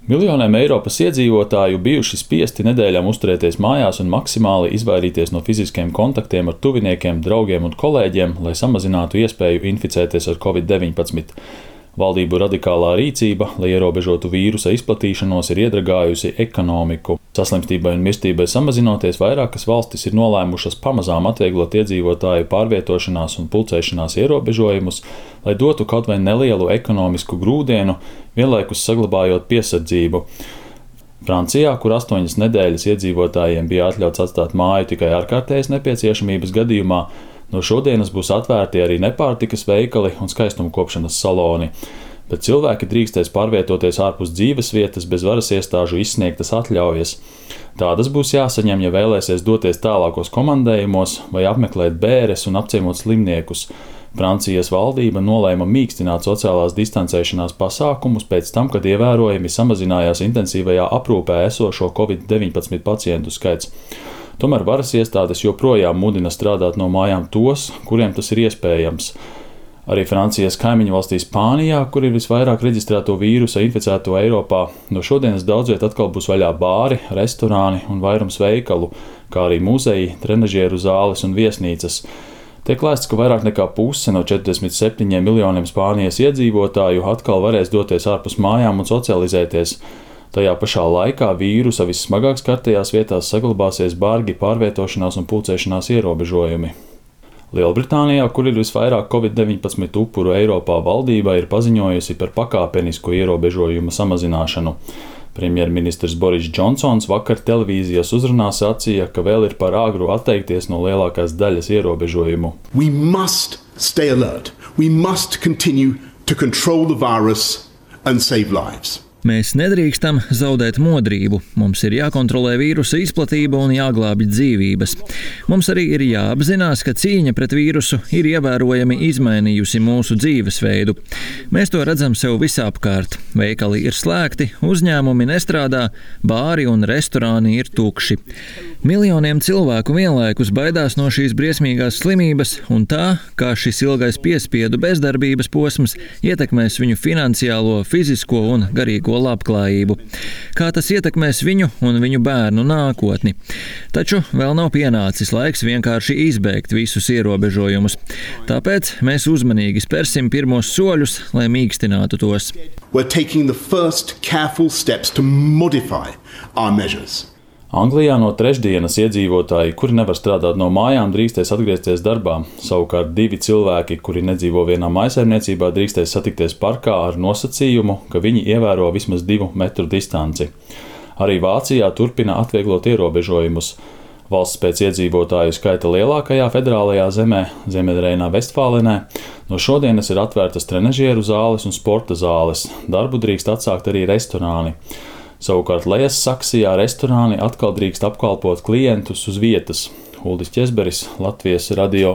Miljoniem Eiropas iedzīvotāju bijuši spiesti nedēļām uzturēties mājās un maksimāli izvairīties no fiziskiem kontaktiem ar tuviniekiem, draugiem un kolēģiem, lai samazinātu iespēju inficēties ar Covid-19. Valdību radikālā rīcība, lai ierobežotu vīrusa izplatīšanos, ir iedragājusi ekonomiku. Saslimstībai un mirstībai samazinoties, vairākas valstis ir nolēmušas pamazām atvieglot iedzīvotāju pārvietošanās un pulcēšanās ierobežojumus, lai dotu kaut vai nelielu ekonomisku grūdienu, vienlaikus saglabājot piesardzību. Francijā, kur 8 nedēļas iedzīvotājiem bija atļauts atstāt māju tikai ārkārtējas nepieciešamības gadījumā, no šodienas būs atvērti arī nepārtikas veikali un skaistumkopšanas saloni, bet cilvēki drīkstēs pārvietoties ārpus dzīvesvietas bez varas iestāžu izsniegtas atļaujas. Tādas būs jāsaņem, ja vēlēsies doties tālākos komandējumos vai apmeklēt bēres un apciemot slimniekus. Francijas valdība nolēma mīkstināt sociālās distancēšanās pasākumus pēc tam, kad ievērojami samazinājās intensīvajā aprūpē esošo Covid-19 pacientu skaits. Tomēr varas iestādes joprojām mudina strādāt no mājām tos, kuriem tas ir iespējams. Arī Francijas kaimiņu valstī Spānijā, kur ir visvairāk reģistrēto vīrusa inficēto Eiropā, no šodienas daudzviet atkal būs vaļā bāri, restorāni un vairums veikalu, kā arī muzeji, trenažieru zāles un viesnīcas. Tiek lēsts, ka vairāk nekā puse no 47 miljoniem Spānijas iedzīvotāju atkal varēs doties ārpus mājām un socializēties. Tajā pašā laikā vīrusa vissmagāk skartajās vietās saglabāsies bargi pārvietošanās un pulcēšanās ierobežojumi. Lielbritānijā, kur ir visvairāk Covid-19 upuru Eiropā, valdība ir paziņojusi par pakāpenisku ierobežojumu samazināšanu. Premjerministrs Boris Džonsons vakar televīzijas uzrunā sacīja, ka vēl ir par āgru atteikties no lielākās daļas ierobežojumu. We must stay alert. We must continue to control the virus and save lives. Mēs nedrīkstam zaudēt modrību. Mums ir jākontrolē vīrusa izplatība un jāglābj dzīvības. Mums arī ir jāapzinās, ka cīņa pret vīrusu ir ievērojami izmainījusi mūsu dzīvesveidu. Mēs to redzam sev visapkārt. Veikali ir slēgti, uzņēmumi nestrādā, bāri un restorāni ir tukši. Miljoniem cilvēku vienlaikus baidās no šīs briesmīgās slimības un tā, kā šis ilgais piespiedu bezdarbības posms ietekmēs viņu finansiālo, fizisko un garīgo labklājību. Kā tas ietekmēs viņu un viņu bērnu nākotni. Taču vēl nav pienācis laiks vienkārši izbēgt visus ierobežojumus. Tāpēc mēs uzmanīgi spērsim pirmos soļus, lai mīkstinātu tos. We're taking the first careful steps to modify our measures. Anglijā no trešdienas iedzīvotāji, kuri nevar strādāt no mājām, drīkstēs atgriezties darbā. Savukārt 2 cilvēki, kuri nedzīvo vienā mājsaimniecībā, drīkstēs satikties parkā ar nosacījumu, ka viņi ievēro vismaz 2 metru distanci. Arī Vācijā turpina atvieglot ierobežojumus. Valsts pēc iedzīvotāju skaita lielākajā federālajā zemē, Ziemeļreinā-Vestfālenē, no šodienas ir atvērtas trenažieru zāles un sporta zāles. Darbu drīkst atsākt arī restorāni. Savukārt Lejas Saksijā restorāni atkal drīkst apkalpot klientus uz vietas. Uldis Ķezberis, Latvijas radio.